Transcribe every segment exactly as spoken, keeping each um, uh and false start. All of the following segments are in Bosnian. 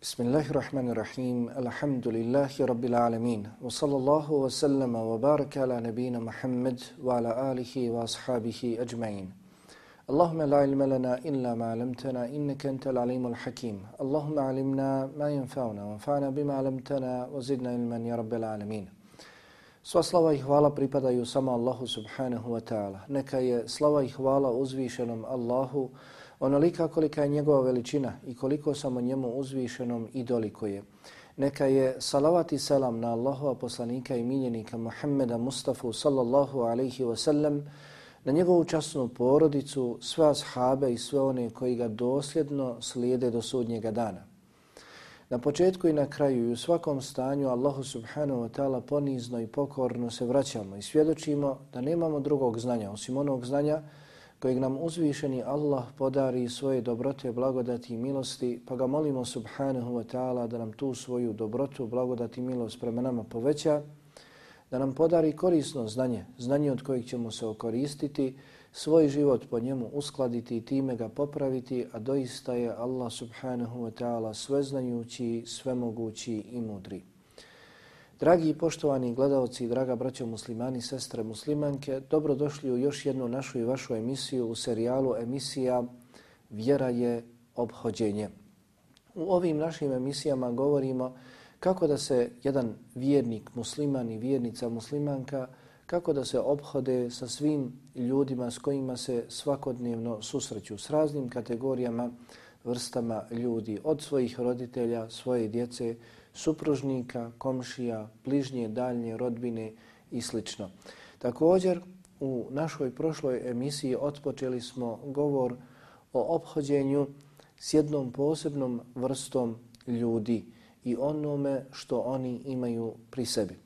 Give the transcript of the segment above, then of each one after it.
Bismillahirrahmanirrahim. Alhamdulillahi rabbil alamin. Wa sallallahu wa sallama wa baraka ala nabina Muhammad wa ala alihi wa ashabihi ajma'in. Allahumma la ilma lana illa ma 'allamtana innaka antal alimul hakim. Allahumma 'allimna ma yanfa'una wanfa'na bima 'allamtana wa zidna ilman ya rabbil alamin. Sva slava i hvala pripadaju samo Allahu subhanahu wa ta'ala. Neka je slava i hvala uzvišenom Allahu onolika kolika je njegova veličina i koliko samo njemu uzvišenom i dolikuje. Neka je salavat i selam na Allahova poslanika i miljenika Muhammeda Mustafa sallallahu alaihi wa sallam, na njegovu časnu porodicu, sve ashabe i sve one koji ga dosljedno slijede do sudnjega dana. Na početku i na kraju i u svakom stanju Allahu subhanahu wa ta'ala ponizno i pokorno se vraćamo i svjedočimo da nemamo drugog znanja osim onog znanja kojeg nam uzvišeni Allah podari svoje dobrote, blagodati i milosti, pa ga molimo subhanahu wa ta'ala da nam tu svoju dobrotu, blagodati i milost prema nama poveća, da nam podari korisno znanje, znanje od kojeg ćemo se okoristiti, svoj život po njemu uskladiti i time ga popraviti, a doista je Allah subhanahu wa ta'ala sveznajući, svemogući i mudri. Dragi i poštovani gledalci, draga braćo muslimani, sestre muslimanke, dobrodošli u još jednu našu i vašu emisiju u serijalu emisija Vjera je ophođenje. U ovim našim emisijama govorimo kako da se jedan vjernik musliman i vjernica muslimanka, kako da se ophode sa svim ljudima s kojima se svakodnevno susreću, s raznim kategorijama, vrstama ljudi, od svojih roditelja, svoje djece, supružnika, komšija, bližnje, daljnje, rodbine i sl. Također, u našoj prošloj emisiji otpočeli smo govor o ophođenju s jednom posebnom vrstom ljudi i onome što oni imaju pri sebi.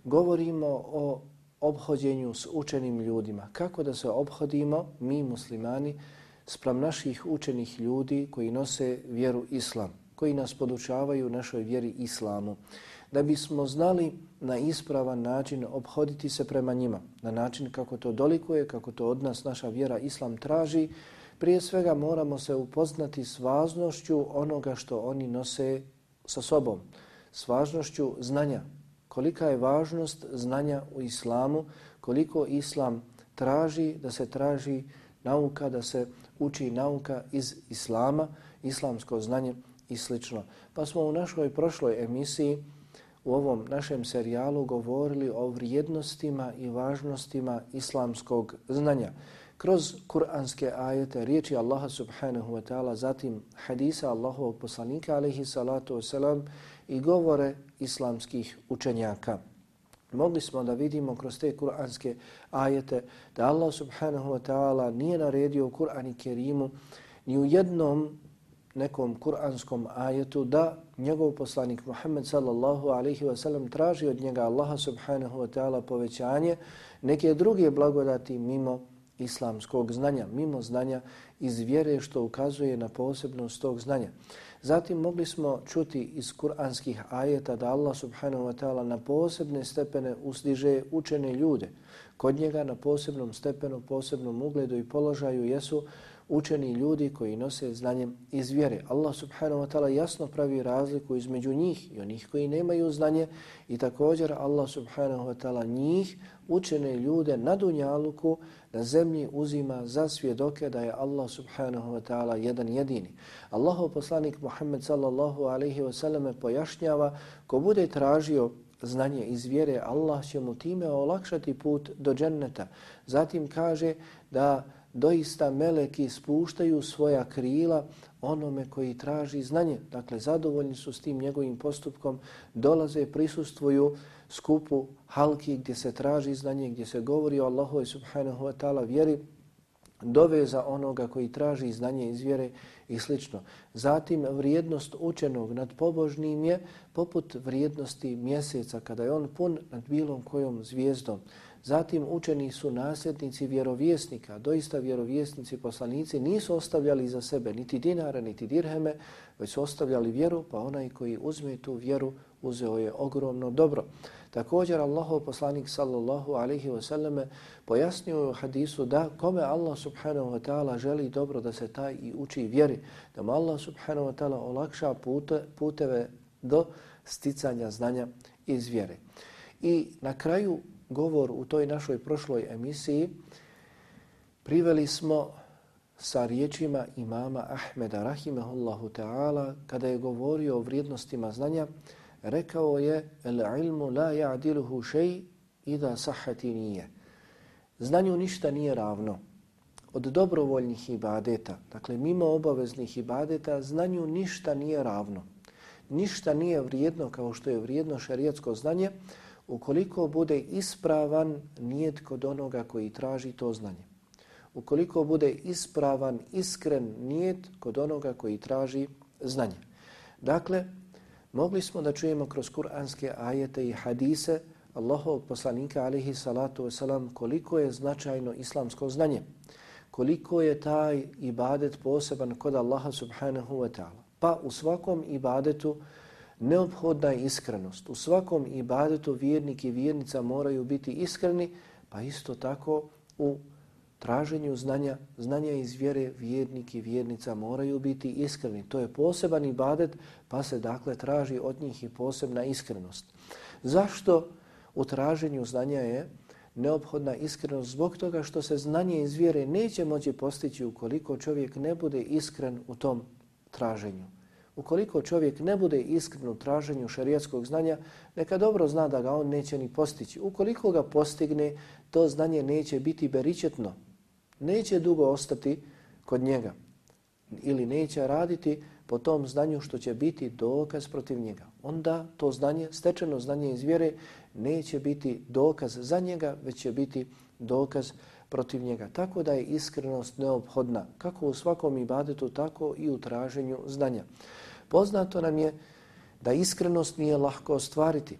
Govorimo o ophođenju s učenim ljudima. Kako da se ophodimo, mi muslimani, spram naših učenih ljudi koji nose vjeru islam, koji nas podučavaju našoj vjeri islamu, da bismo znali na ispravan način ophoditi se prema njima, na način kako to dolikuje, kako to od nas naša vjera islam traži. Prije svega moramo se upoznati s važnošću onoga što oni nose sa sobom, s važnošću znanja. Kolika je važnost znanja u islamu, koliko islam traži da se traži nauka, da se uči nauka iz islama, islamsko znanje i slično. Pa smo u našoj prošloj emisiji, u ovom našem serijalu, govorili o vrijednostima i važnostima islamskog znanja. Kroz kuranske ajete, riječi Allaha subhanahu wa ta'ala, zatim hadisa Allahovog poslanika alaihi salatu wasalam i govore islamskih učenjaka. Mogli smo da vidimo kroz te kuranske ajete da Allah subhanahu wa ta'ala nije naredio u Kur'an i Kerimu ni u jednom nekom kuranskom ajetu da njegov poslanik Muhammed sallallahu alaihi wa sallam traži od njega Allaha subhanahu wa ta'ala povećanje neke druge blagodati mimo islamskog znanja, mimo znanja iz vjere što ukazuje na posebnost tog znanja. Zatim mogli smo čuti iz kuranskih ajeta da Allah subhanahu wa ta'ala na posebne stepene uzdiže učene ljude. Kod njega na posebnom stepenu, posebnom ugledu i položaju jesu učeni ljudi koji nose znanje iz vjere. Allah subhanahu wa ta'ala jasno pravi razliku između njih i onih koji nemaju znanje i također Allah subhanahu wa ta'ala njih, učene ljude na dunjaluku, na zemlji uzima za svjedoke da je Allah subhanahu wa ta'ala jedan jedini. Allahov poslanik Muhammed sallallahu alaihi wa sallam pojašnjava ko bude tražio znanje iz vjere, Allah će mu time olakšati put do dženneta. Zatim kaže da doista meleki spuštaju svoja krila onome koji traži znanje. Dakle, zadovoljni su s tim njegovim postupkom, dolaze, prisustvuju skupu halki gdje se traži znanje, gdje se govori o Allahu subhanahu wa ta'ala vjeri, doveza onoga koji traži znanje iz vjere i slično. Zatim vrijednost učenog nad pobožnim je poput vrijednosti mjeseca kada je on pun nad bilom kojom zvijezdom. Zatim učeni su nasljednici vjerovjesnika. Doista vjerovjesnici, poslanici nisu ostavljali za sebe niti dinara, niti dirheme, već su ostavljali vjeru, pa onaj koji uzme tu vjeru uzeo je ogromno dobro. Također Allahov poslanik sallallahu alejhi ve selleme pojasnio u hadisu da kome Allah subhanahu wa ta'ala želi dobro da se taj i uči vjeri, da mu Allah subhanahu wa ta'ala olakša pute, puteve do sticanja znanja iz vjere. I na kraju govor u toj našoj prošloj emisiji priveli smo sa riječima imama Ahmeda rahimahullahu ta'ala kada je govorio o vrijednostima znanja. Rekao je el ilmu la ya'diluhu shay idha sahhati nije. Znanju ništa nije ravno. Od dobrovoljnih ibadeta, dakle mimo obaveznih ibadeta, znanju ništa nije ravno. Ništa nije vrijedno kao što je vrijedno šerijatsko znanje ukoliko bude ispravan nijet kod onoga koji traži to znanje. Ukoliko bude ispravan, iskren nijet kod onoga koji traži znanje. Dakle, mogli smo da čujemo kroz kuranske ajete i hadise Allahovog poslanika alejhi salatu vesselam koliko je značajno islamsko znanje, koliko je taj ibadet poseban kod Allaha subhanahu wa ta'ala. Pa u svakom ibadetu neophodna je iskrenost. U svakom ibadetu vjernik i vjernica moraju biti iskreni, pa isto tako u traženju znanja, znanja iz vjere vjernik i vjernica moraju biti iskreni. To je poseban ibadet, pa se dakle traži od njih i posebna iskrenost. Zašto u traženju znanja je neophodna iskrenost? Zbog toga što se znanje iz vjere neće moći postići ukoliko čovjek ne bude iskren u tom traženju. Ukoliko čovjek ne bude iskren u traženju šerijatskog znanja, neka dobro zna da ga on neće ni postići. Ukoliko ga postigne, to znanje neće biti beričetno, neće dugo ostati kod njega ili neće raditi po tom znanju što će biti dokaz protiv njega. Onda to znanje, stečeno znanje iz vjere, neće biti dokaz za njega, već će biti dokaz protiv njega. Tako da je iskrenost neophodna, kako u svakom ibadetu, tako i u traženju znanja. Poznato nam je da iskrenost nije lahko ostvariti.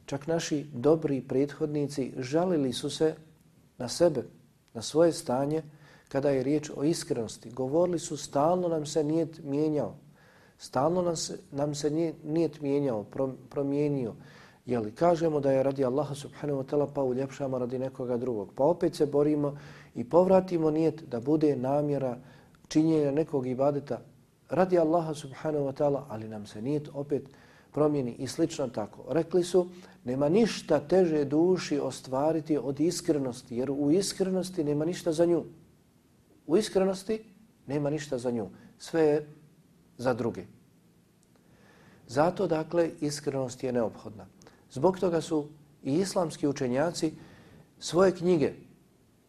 Čak naši dobri prethodnici žalili su se na sebe, na svoje stanje, kada je riječ o iskrenosti. Govorili su stalno nam se nijet mijenjao. Stalno nam se, nam se nijet mijenjao, promijenio. Jeli, kažemo da je radi Allaha subhanahu wa ta'ala, pa uljepšamo radi nekoga drugog. Pa opet se borimo i povratimo nijet da bude namjera činjenja nekog ibadeta radi Allaha subhanahu wa ta'ala, ali nam se nijet opet promijeni i slično tako. Rekli su, nema ništa teže duši ostvariti od iskrenosti, jer u iskrenosti nema ništa za nju. U iskrenosti nema ništa za nju. Sve je za druge. Zato, dakle, iskrenost je neophodna. Zbog toga su i islamski učenjaci svoje knjige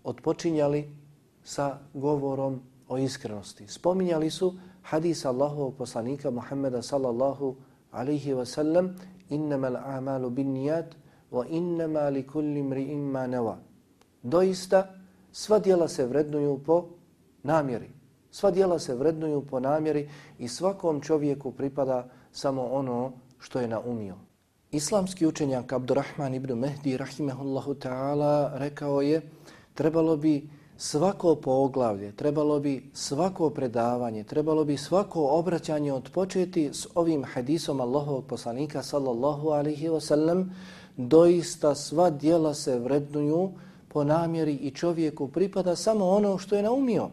otpočinjali sa govorom o iskrenosti. Spominjali su hadis Allahovog poslanika Muhammeda sallallahu alaihi wa sallam, innamal a'malu bin nijat wa innama li kulli mri'in ma nawa. Doista, sva djela se vrednuju po namjeri. Sva djela se vrednuju po namjeri i svakom čovjeku pripada samo ono što je naumio. Islamski učenjak Abdurrahman ibn Mehdi rahimehullahu ta'ala rekao je, trebalo bi svako poglavlje, trebalo bi svako predavanje, trebalo bi svako obraćanje odpočeti s ovim hadisom Allahovog poslanika sallallahu alaihi wa sallam. Doista sva djela se vrednuju po namjeri i čovjeku pripada samo ono što je naumio.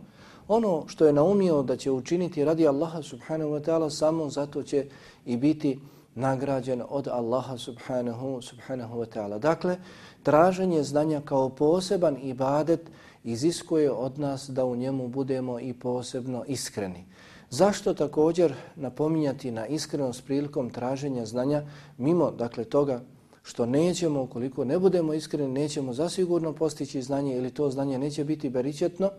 Ono što je naumio da će učiniti radi Allaha subhanahu wa ta'ala, samo zato će i biti nagrađen od Allaha subhanahu, subhanahu wa ta'ala. Dakle, traženje znanja kao poseban ibadet iziskuje od nas da u njemu budemo i posebno iskreni. Zašto također napominjati na iskrenost prilikom traženja znanja, mimo dakle toga što nećemo, ukoliko ne budemo iskreni, nećemo zasigurno postići znanje ili to znanje neće biti beričetno.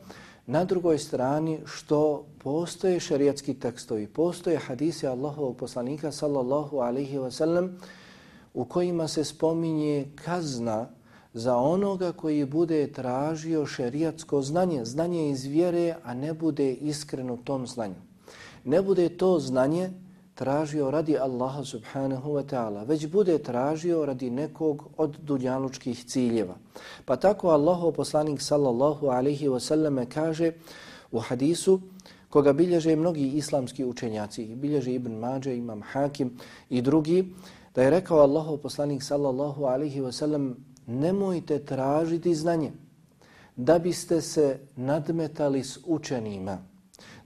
Na drugoj strani što postoje šerijatski tekstovi, postoje hadisi Allahovog poslanika sallallahu alaihi wa sallam u kojima se spominje kazna za onoga koji bude tražio šerijatsko znanje, znanje iz vjere, a ne bude iskren u tom znanju. Ne bude to znanje tražio radi Allaha subhanahu wa ta'ala, već bude tražio radi nekog od dunjalučkih ciljeva. Pa tako Allahov poslanik sallallahu alaihi wa sallam kaže u hadisu koga bilježe mnogi islamski učenjaci, bilježe Ibn Mađe, Imam Hakim i drugi, Da je rekao Allahov poslanik sallallahu alaihi wa sallam, nemojte tražiti znanje da biste se nadmetali s učenima,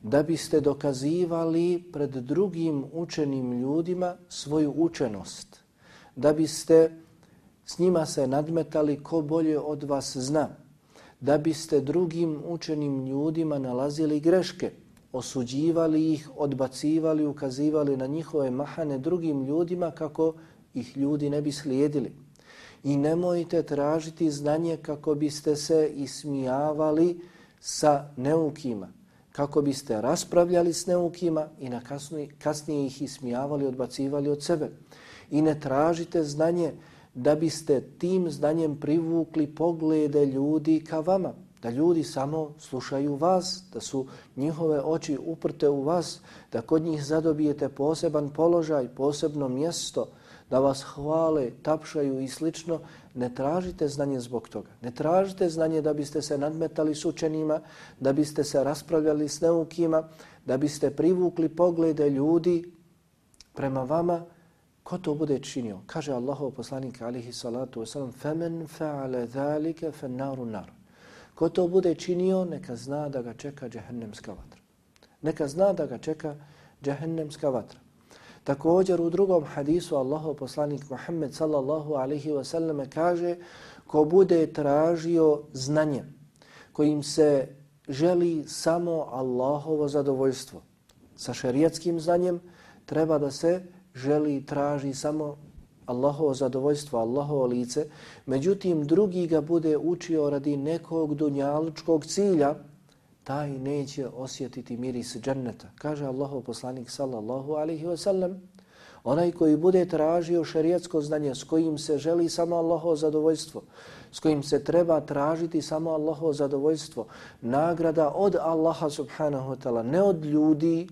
da biste dokazivali pred drugim učenim ljudima svoju učenost, da biste s njima se nadmetali ko bolje od vas zna, da biste drugim učenim ljudima nalazili greške, osuđivali ih, odbacivali, ukazivali na njihove mahane drugim ljudima kako ih ljudi ne bi slijedili. I nemojte tražiti znanje kako biste se ismijavali sa neukima, kako biste raspravljali s neukima i na kasnije, kasnije ih ismijavali, odbacivali od sebe. I ne tražite znanje da biste tim znanjem privukli poglede ljudi ka vama, da ljudi samo slušaju vas, da su njihove oči uprte u vas, da kod njih zadobijete poseban položaj, posebno mjesto, da vas hvale, tapšaju i slično. Ne tražite znanje zbog toga. Ne tražite znanje da biste se nadmetali s učenima, da biste se raspravljali s neukima, da biste privukli poglede ljudi prema vama. Ko to bude činio? Kaže Allahov poslanik alejhi salatu vesselam: "Femen fa'ala zalika fan-naru nar." Ko to bude činio, neka zna da ga čeka džehennemska vatra. Neka zna da ga čeka džehennemska vatra. Također u drugom hadisu Allahov poslanik Muhammed sallallahu alejhi ve sellem kaže: ko bude tražio znanje kojim se želi samo Allahovo zadovoljstvo, sa šerijatskim znanjem treba da se želi i traži samo Allahovo zadovoljstvo, Allahovo lice, međutim drugi ga bude učio radi nekog dunjalučkog cilja, taj neće osjetiti miris dženneta. Kaže Allahov poslanik sallallahu alejhi ve sellem: onaj koji bude tražio šerijatsko znanje s kojim se želi samo Allahovo zadovoljstvo, s kojim se treba tražiti samo Allahovo zadovoljstvo, nagrada od Allaha subhanahu wa ta'ala, ne od ljudi,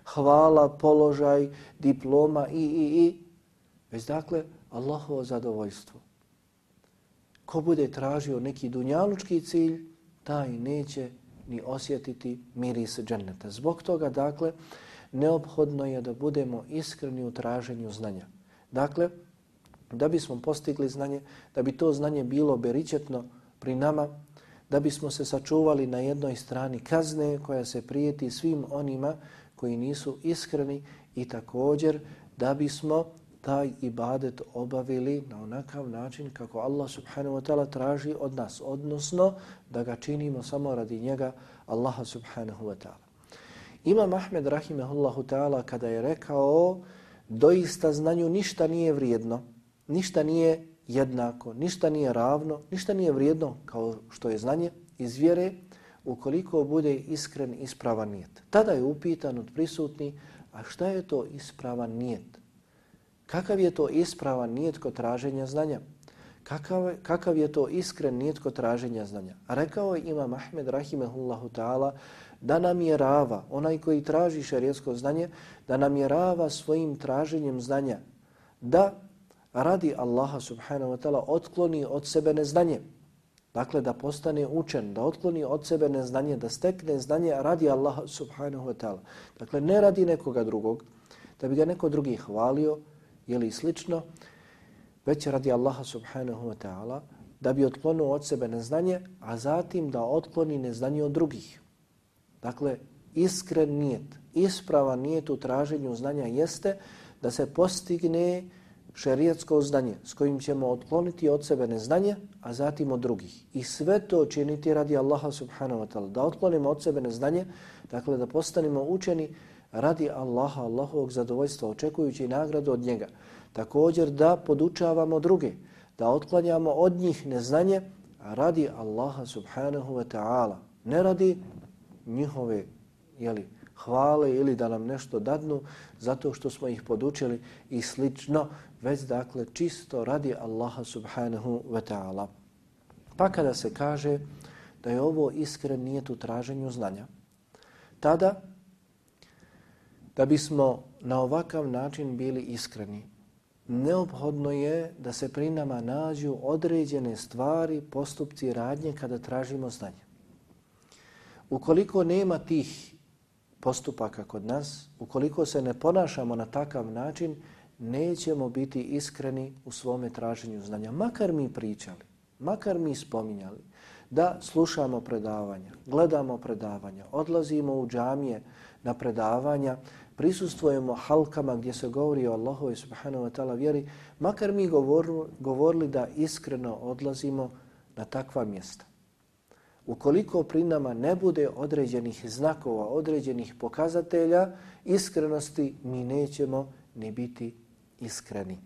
hvala, položaj, diploma i, i, i, već dakle Allahovo zadovoljstvo. Ko bude tražio neki dunjalučki cilj, taj neće ni osjetiti miris dženneta. Zbog toga, dakle, neophodno je da budemo iskreni u traženju znanja. Dakle, da bismo postigli znanje, da bi to znanje bilo beričetno pri nama, da bismo se sačuvali na jednoj strani kazne koja se prijeti svim onima koji nisu iskreni i također da bismo taj ibadet obavili na onakav način kako Allah subhanahu wa ta'ala traži od nas, odnosno da ga činimo samo radi njega, Allaha subhanahu wa ta'ala. Imam Ahmed rahimehullahu ta'ala kada je rekao doista znanju ništa nije vrijedno, ništa nije jednako, ništa nije ravno, ništa nije vrijedno kao što je znanje iz vjere ukoliko bude iskren ispravan nijet. Tada je upitan od prisutni, a šta je to ispravan nijet? Kakav je to ispravan nijet kod traženja znanja? Kakav, kakav je to iskren nijet kod traženja znanja? A rekao je Imam Ahmed rahimehullahu ta'ala da namjerava, onaj koji traži šerijatsko znanje, da namjerava svojim traženjem znanja da radi Allaha subhanahu wa ta'ala otkloni od sebe neznanje. Dakle, da postane učen, da otkloni od sebe neznanje, da stekne znanje radi Allaha subhanahu wa ta'ala. Dakle, ne radi nekoga drugog, da bi ga neko drugi hvalio ili slično, već radi Allaha subhanahu wa ta'ala, da bi otklonio od sebe neznanje, a zatim da otkloni neznanje od drugih. Dakle, iskren nijet, ispravan nijet u traženju znanja jeste da se postigne šerijatsko znanje s kojim ćemo otkloniti od sebe neznanje, a zatim od drugih. I sve to činiti radi Allaha subhanahu wa ta'ala, da otklonimo od sebe neznanje, dakle da postanemo učeni radi Allaha, Allahovog zadovoljstva, očekujući nagradu od njega. Također da podučavamo druge, da otklanjamo od njih neznanje radi Allaha subhanahu wa ta'ala, ne radi njihove jeli, hvale ili da nam nešto dadnu zato što smo ih podučili i slično, već dakle čisto radi Allaha subhanahu wa ta'ala. Pa kada se kaže da je ovo iskren nijet u traženju znanja, tada da bismo na ovakav način bili iskreni, neophodno je da se pri nama nađu određene stvari, postupci, radnje kada tražimo znanje. Ukoliko nema tih postupaka kod nas, ukoliko se ne ponašamo na takav način, nećemo biti iskreni u svome traženju znanja. Makar mi pričali, makar mi spominjali da slušamo predavanja, gledamo predavanja, odlazimo u džamije na predavanja, prisustvujemo halkama gdje se govori o Allahovoj subhanahu wa ta'ala vjeri, makar mi govorili, govorili da iskreno odlazimo na takva mjesta. Ukoliko pri nama ne bude određenih znakova, određenih pokazatelja iskrenosti, mi nećemo ni biti iskreni.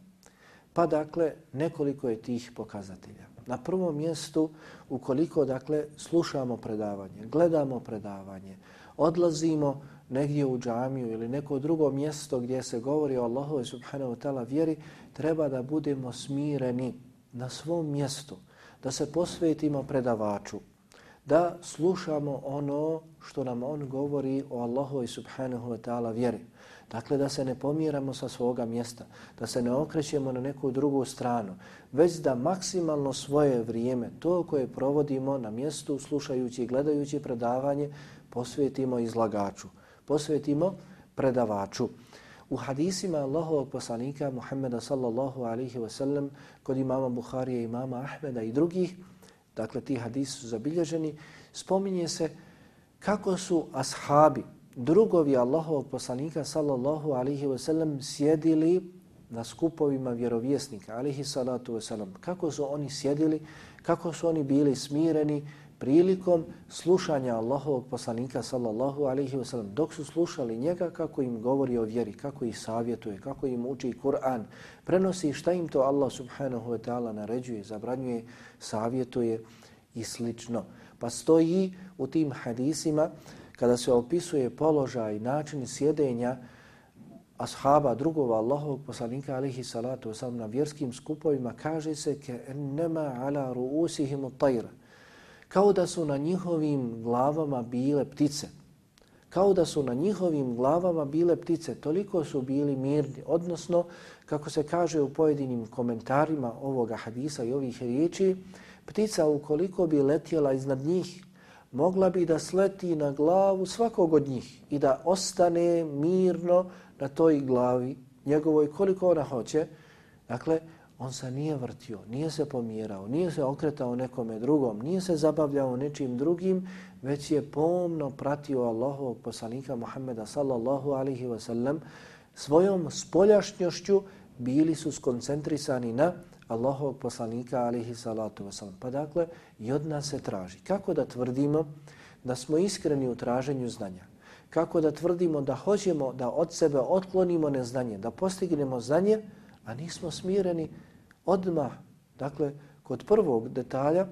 Pa dakle, nekoliko je tih pokazatelja. Na prvom mjestu, ukoliko dakle slušamo predavanje, gledamo predavanje, odlazimo negdje u džamiju ili neko drugo mjesto gdje se govori o Allahovoj subhanahu wa ta'ala vjeri, treba da budemo smireni na svom mjestu, da se posvetimo predavaču, da slušamo ono što nam on govori o Allahovoj subhanahu wa ta'ala vjeri. Dakle, da se ne pomjeramo sa svoga mjesta, da se ne okrećemo na neku drugu stranu, već da maksimalno svoje vrijeme, to koje provodimo na mjestu, slušajući i gledajući predavanje, posvetimo izlagaču, posvetimo predavaču. U hadisima Allahovog poslanika Muhammeda sallallahu alaihi wa sallam, kod imama Buharije, imama Ahmeda i drugih, dakle ti hadisi su zabilježeni, spominje se kako su ashabi, drugovi Allahovog poslanika sallallahu alaihi wa sallam sjedili na skupovima vjerovjesnika alaihi salatu wa sallam. Kako su oni sjedili, kako su oni bili smireni prilikom slušanja Allahovog poslanika sallallahu alaihi wa sallam. Dok su slušali njega kako im govori o vjeri, kako ih savjetuje, kako im uči Kur'an, prenosi šta im to Allah subhanahu wa ta'ala naređuje, zabranjuje, savjetuje i slično. Pa stoji u tim hadisima kada se opisuje položaj, način sjedenja ashaba, drugova Allahovog poslanika alaihi salatu wasalam na vjerskim skupovima, kaže se ke ennema ala ruusihim at-tayr, kao da su na njihovim glavama bile ptice. Kao da su na njihovim glavama bile ptice, toliko su bili mirni. Odnosno, kako se kaže u pojedinim komentarima ovoga hadisa i ovih riječi, ptica ukoliko bi letjela iznad njih, mogla bi da sleti na glavu svakog od njih i da ostane mirno na toj glavi njegovoj koliko ona hoće. Dakle, on se nije vrtio, nije se pomjerao, nije se okretao nekome drugom, nije se zabavljao nečim drugim, već je pomno pratio Allahovog poslanika Muhammeda sallallahu alaihi wa sallam. Svojom spoljašnjošću bili su skoncentrisani na Allahovog poslanika alaihi salatu wa sallam. Pa dakle, i od nas se traži. Kako da tvrdimo da smo iskreni u traženju znanja? Kako da tvrdimo da hoćemo da od sebe otklonimo neznanje, da postignemo znanje, a nismo smireni odmah? Dakle, kod prvog detalja,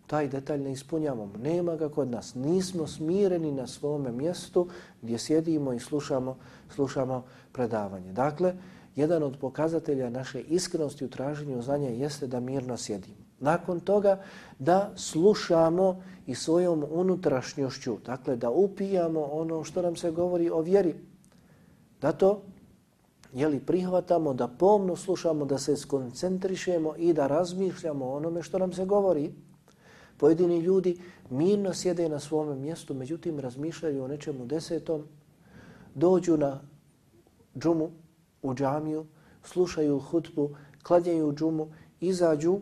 taj detalj ne ispunjavamo. Nema ga kod nas. Nismo smireni na svome mjestu gdje sjedimo i slušamo, slušamo predavanje. Dakle, jedan od pokazatelja naše iskrenosti u traženju znanja jeste da mirno sjedimo. Nakon toga da slušamo i svojom unutrašnjošću, dakle da upijamo ono što nam se govori o vjeri. Da to jeli, prihvatamo, da pomno slušamo, da se skoncentrišemo i da razmišljamo o onome što nam se govori. Pojedini ljudi mirno sjede na svome mjestu, međutim razmišljaju o nečemu desetom, dođu na džumu, u džamiju, slušaju hutbu, klanjaju džumu, izađu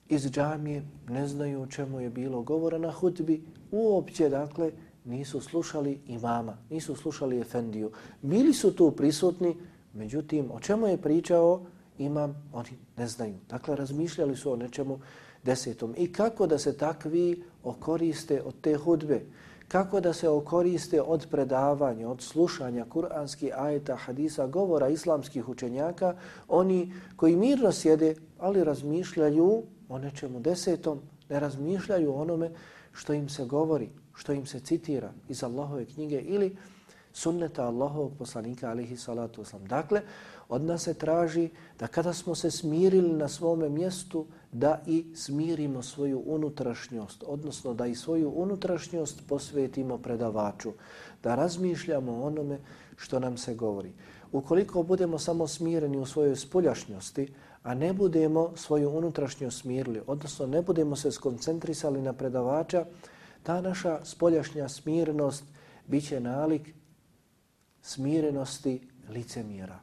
iz džamije, ne znaju o čemu je bilo govora na hutbi, uopće dakle nisu slušali imama, nisu slušali efendiju. Bili su tu prisutni, međutim o čemu je pričao imam, oni ne znaju. Dakle, razmišljali su o nečemu desetom. I kako da se takvi okoriste od te hudbe? Kako da se okoriste od predavanja, od slušanja kuranskih ajeta, hadisa, govora islamskih učenjaka, oni koji mirno sjede, ali razmišljaju o nečemu desetom, ne razmišljaju o onome što im se govori, što im se citira iz Allahove knjige ili sunneta Allahovog poslanika alaihi salatu wasalam. Dakle, od nas se traži da kada smo se smirili na svome mjestu, da i smirimo svoju unutrašnjost, odnosno da i svoju unutrašnjost posvetimo predavaču, da razmišljamo o onome što nam se govori. Ukoliko budemo samo smireni u svojoj spoljašnjosti, a ne budemo svoju unutrašnjost smirili, odnosno ne budemo se skoncentrisali na predavača, ta naša spoljašnja smirenost bit će nalik smirenosti licemjera,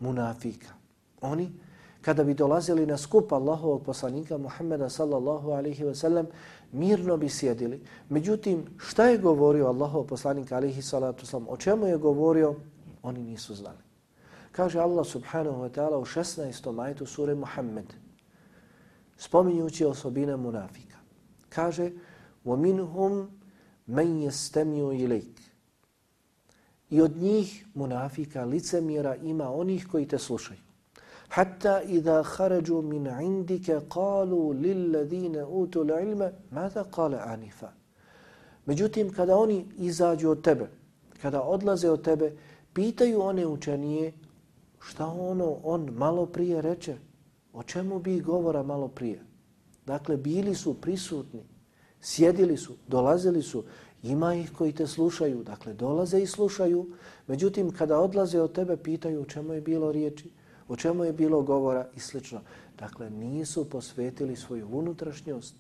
munafika. Oni, kada bi dolazili na skup Allahovog poslanika Muhammeda sallallahu alaihi ve sellem, mirno bi sjedili. Međutim, šta je govorio Allahov poslanik alaihi salatu wasalam, o čemu je govorio, oni nisu znali. Kaže Allah subhanahu wa ta'ala u šesnaestom ajetu sure Muhammed, spominjući osobine munafika. Kaže, وَمِنْهُمْ مَنْ يَسْتَمِيُوا إِلَيْكَ. I od njih, munafika, licemjera, ima onih koji te slušaju. Hatta idha kharaju min indika qalu lilladhina utul ilma madha qala anifa. Međutim, kada oni izađu od tebe, kada odlaze od tebe, pitaju one učenije šta ono on malo prije reče, o čemu bi govora malo prije. Dakle, bili su prisutni, sjedili su, dolazili su, ima ih koji te slušaju, dakle dolaze i slušaju, međutim kada odlaze od tebe pitaju o čemu je bilo riječi, o čemu je bilo govora i slično. Dakle, nisu posvetili svoju unutrašnjost.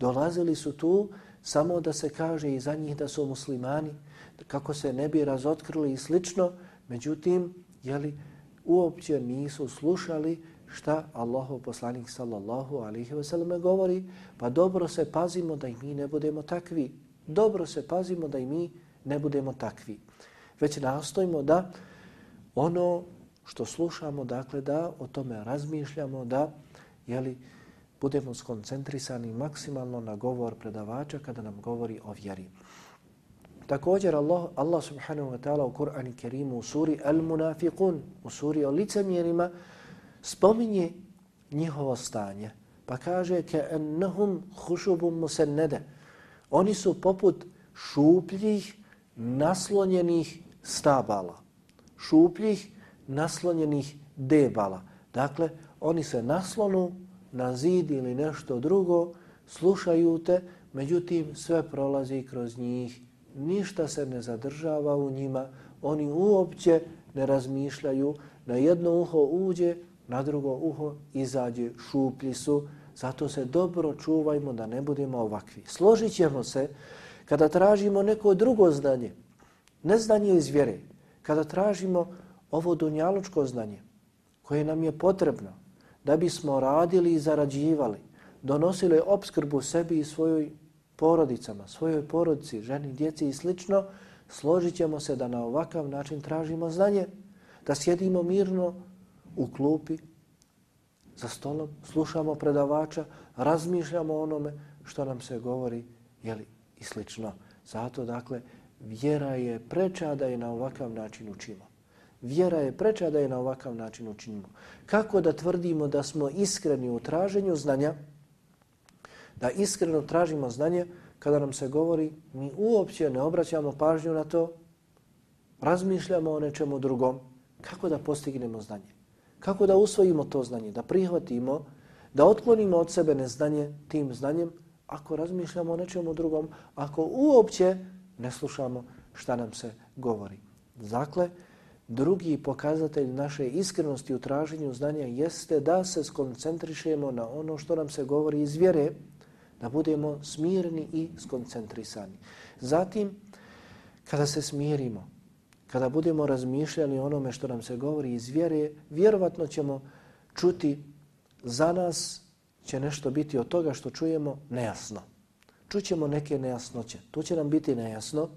Dolazili su tu samo da se kaže i za njih da su muslimani, kako se ne bi razotkrili i slično, međutim, jeli, uopće nisu slušali šta Allahov poslanik sallallahu alaihi ve sellem govori, pa dobro se pazimo da i mi ne budemo takvi. Dobro se pazimo da i mi ne budemo takvi. Već nastojimo da ono što slušamo, dakle da o tome razmišljamo, da jeli, budemo skoncentrisani maksimalno na govor predavača kada nam govori o vjeri. Također Allah, Allah subhanahu wa ta'ala u Kur'anu Kerimu u suri Al-Munafiqun, u suri o licemjerima, spominje njihovo stanje. Pa kaže كَأَنَّهُمْ خُشُبٌ مُسَنَّدَ. Oni su poput šupljih naslonjenih stabala. Šupljih naslonjenih debala. Dakle, oni se naslonu na zid ili nešto drugo, slušaju te, međutim sve prolazi kroz njih, ništa se ne zadržava u njima, oni uopće ne razmišljaju, na jedno uho uđe, na drugo uho izađe, šuplji su, zato se dobro čuvajmo da ne budemo ovakvi. Složit ćemo se kada tražimo neko drugo znanje, ne znanje iz vjere, kada tražimo ovo dunjalučko znanje koje nam je potrebno da bismo radili i zarađivali, donosili opskrbu sebi i svojoj porodicama, svojoj porodici, ženi, djeci i slično, složit ćemo se da na ovakav način tražimo znanje, da sjedimo mirno u klupi, za stolom, slušamo predavača, razmišljamo o onome što nam se govori, jeli, i slično. Zato, dakle, vjera je preča da je na ovakav način učimo. Vjera je preča da je na ovakav način učinimo. Kako da tvrdimo da smo iskreni u traženju znanja, da iskreno tražimo znanje, kada nam se govori, mi uopće ne obraćamo pažnju na to, razmišljamo o nečemu drugom. Kako da postignemo znanje? Kako da usvojimo to znanje, da prihvatimo, da otklonimo od sebe neznanje tim znanjem, ako razmišljamo o nečemu drugom, ako uopće ne slušamo šta nam se govori. Dakle, drugi pokazatelj naše iskrenosti u traženju znanja jeste da se skoncentrišemo na ono što nam se govori iz vjere, da budemo smirni i skoncentrisani. Zatim, kada se smirimo, kada budemo razmišljali o onome što nam se govori iz vjere, vjerovatno ćemo čuti, za nas će nešto biti od toga što čujemo nejasno. Čućemo neke nejasnoće, to će nam biti nejasno,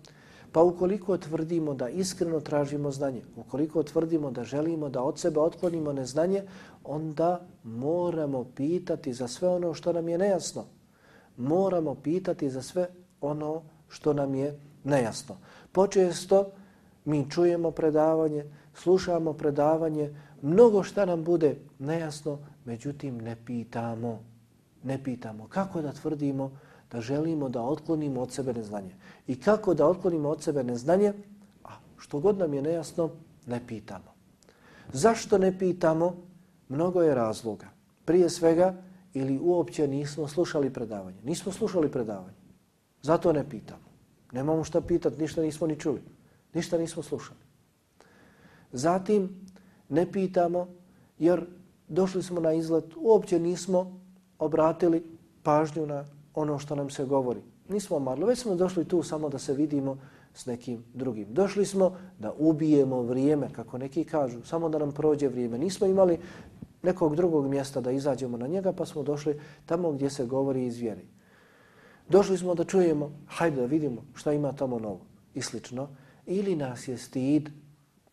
pa ukoliko tvrdimo da iskreno tražimo znanje, ukoliko tvrdimo da želimo da od sebe otklonimo neznanje, onda moramo pitati za sve ono što nam je nejasno. Moramo pitati za sve ono što nam je nejasno. Počesto mi čujemo predavanje, slušamo predavanje, mnogo šta nam bude nejasno, međutim ne pitamo. Ne pitamo kako da tvrdimo da želimo da otklonimo od sebe neznanje. I kako da otklonimo od sebe neznanje, a što god nam je nejasno, ne pitamo. Zašto ne pitamo? Mnogo je razloga. Prije svega, ili uopće nismo slušali predavanje. Nismo slušali predavanje. Zato ne pitamo. Nemamo šta pitati, ništa nismo ni čuli. Ništa nismo slušali. Zatim ne pitamo jer došli smo na izlet, uopće nismo obratili pažnju na ono što nam se govori. Nismo marli, već smo došli tu samo da se vidimo, s nekim drugim. Došli smo da ubijemo vrijeme, kako neki kažu, samo da nam prođe vrijeme. Nismo imali nekog drugog mjesta da izađemo na njega, pa smo došli tamo gdje se govori iz vjere. Došli smo da čujemo, hajde da vidimo šta ima tamo novo i slično. Ili nas je stid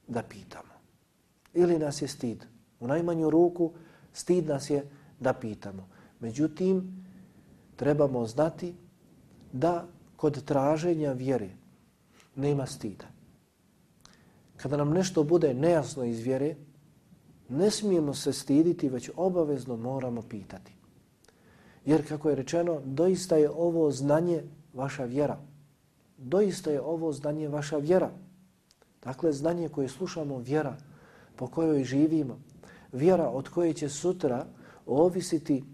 da pitamo. Ili nas je stid. U najmanju ruku stid nas je da pitamo. Međutim, trebamo znati da kod traženja vjere nema stida. Kada nam nešto bude nejasno iz vjere, ne smijemo se stiditi, već obavezno moramo pitati. Jer kako je rečeno, doista je ovo znanje vaša vjera. Doista je ovo znanje vaša vjera. Dakle, znanje koje slušamo, vjera po kojoj živimo, vjera od koje će sutra ovisiti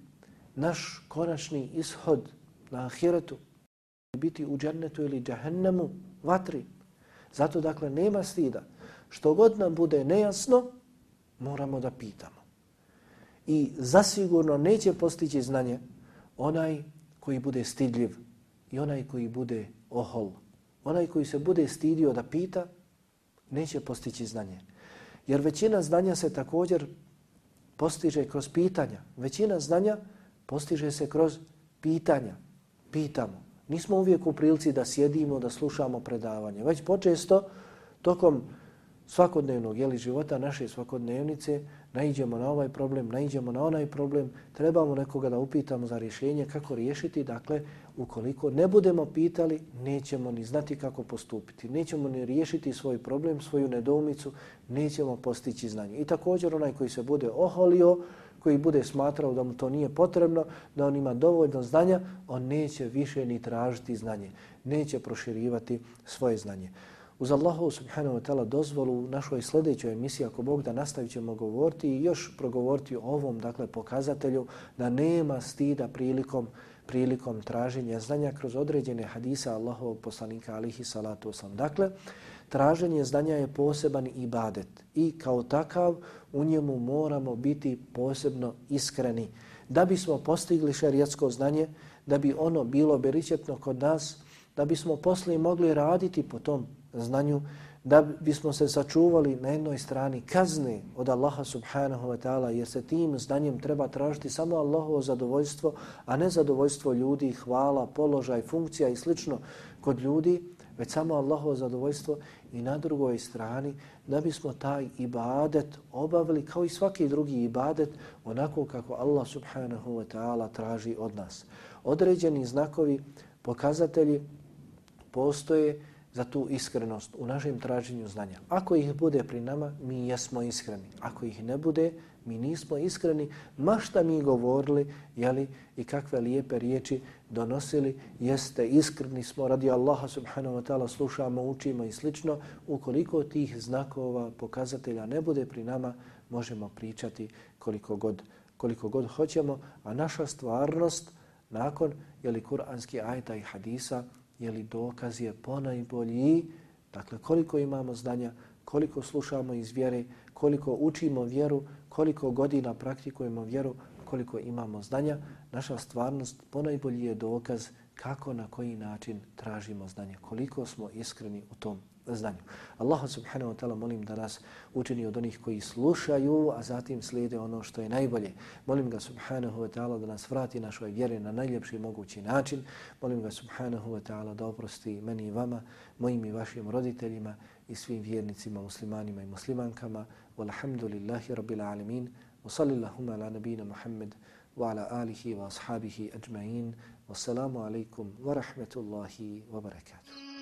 naš konačni ishod na ahiretu, biti u džennetu ili džahennemu, vatri. Zato, dakle, nema stida. Što god nam bude nejasno, moramo da pitamo. I zasigurno neće postići znanje onaj koji bude stidljiv i onaj koji bude ohol. Onaj koji se bude stidio da pita, neće postići znanje. Jer većina znanja se također postiže kroz pitanja. Većina znanja postiže se kroz pitanja. Pitamo. Nismo uvijek u prilici da sjedimo, da slušamo predavanje. Već počesto tokom svakodnevnog jeli, života, naše svakodnevnice, naiđemo na ovaj problem, naiđemo na onaj problem, trebamo nekoga da upitamo za rješenje, kako riješiti. Dakle, ukoliko ne budemo pitali, nećemo ni znati kako postupiti. Nećemo ni riješiti svoj problem, svoju nedoumicu, nećemo postići znanje. I također onaj koji se bude oholio, koji bude smatrao da mu to nije potrebno, da on ima dovoljno znanja, on neće više ni tražiti znanje. Neće proširivati svoje znanje. Uz Allahu subhanahu wa ta'ala dozvolu u našoj sljedećoj emisiji, ako Bog da, nastavit ćemo govoriti i još progovoriti o ovom, dakle, pokazatelju da nema stida prilikom, prilikom traženja znanja kroz određene hadisa Allahovog poslanika alihi salatu wasalam. Dakle, traženje znanja je poseban ibadet i kao takav u njemu moramo biti posebno iskreni. Da bismo postigli šerijatsko znanje, da bi ono bilo beričetno kod nas, da bismo poslije mogli raditi po tom znanju, da bismo se sačuvali na jednoj strani kazne od Allaha subhanahu wa ta'ala, jer se tim znanjem treba tražiti samo Allahovo zadovoljstvo, a ne zadovoljstvo ljudi, hvala, položaj, funkcija i slično kod ljudi, već samo Allahovo zadovoljstvo. I na drugoj strani da bismo taj ibadet obavili kao i svaki drugi ibadet onako kako Allah subhanahu wa ta'ala traži od nas. Određeni znakovi, pokazatelji postoje za tu iskrenost u našem traženju znanja. Ako ih bude pri nama, mi jesmo iskreni. Ako ih ne bude, mi nismo iskreni, ma šta mi govorili, jeli, i kakve lijepe riječi donosili, jeste iskreni smo radi Allaha subhanahu wa ta'ala, slušamo, učimo i slično. Ukoliko tih znakova, pokazatelja ne bude pri nama, možemo pričati koliko god, koliko god hoćemo, a naša stvarnost nakon jeli, kuranski ajeta i hadisa, jeli, dokaz je ponajbolji. Dakle, koliko imamo znanja, koliko slušamo iz vjere, koliko učimo vjeru, koliko godina praktikujemo vjeru, koliko imamo znanja, naša stvarnost ponajbolji je dokaz kako, na koji način tražimo znanje, koliko smo iskreni u tom znanju. Allah subhanahu wa ta'ala molim da nas učini od onih koji slušaju, a zatim slijede ono što je najbolje. Molim ga subhanahu wa ta'ala da nas vrati našoj vjeri na najljepši mogući način. Molim ga subhanahu wa ta'ala da oprosti meni i vama, mojim i vašim roditeljima i svim vjernicima, muslimanima i muslimankama. Walhamdulillahi rabbil alamin. Wa sallallahu ala nabina Muhammad wa ala alihi wa ashabihi ajma'in. Wassalamu alaikum wa rahmatullahi wa barakatuh.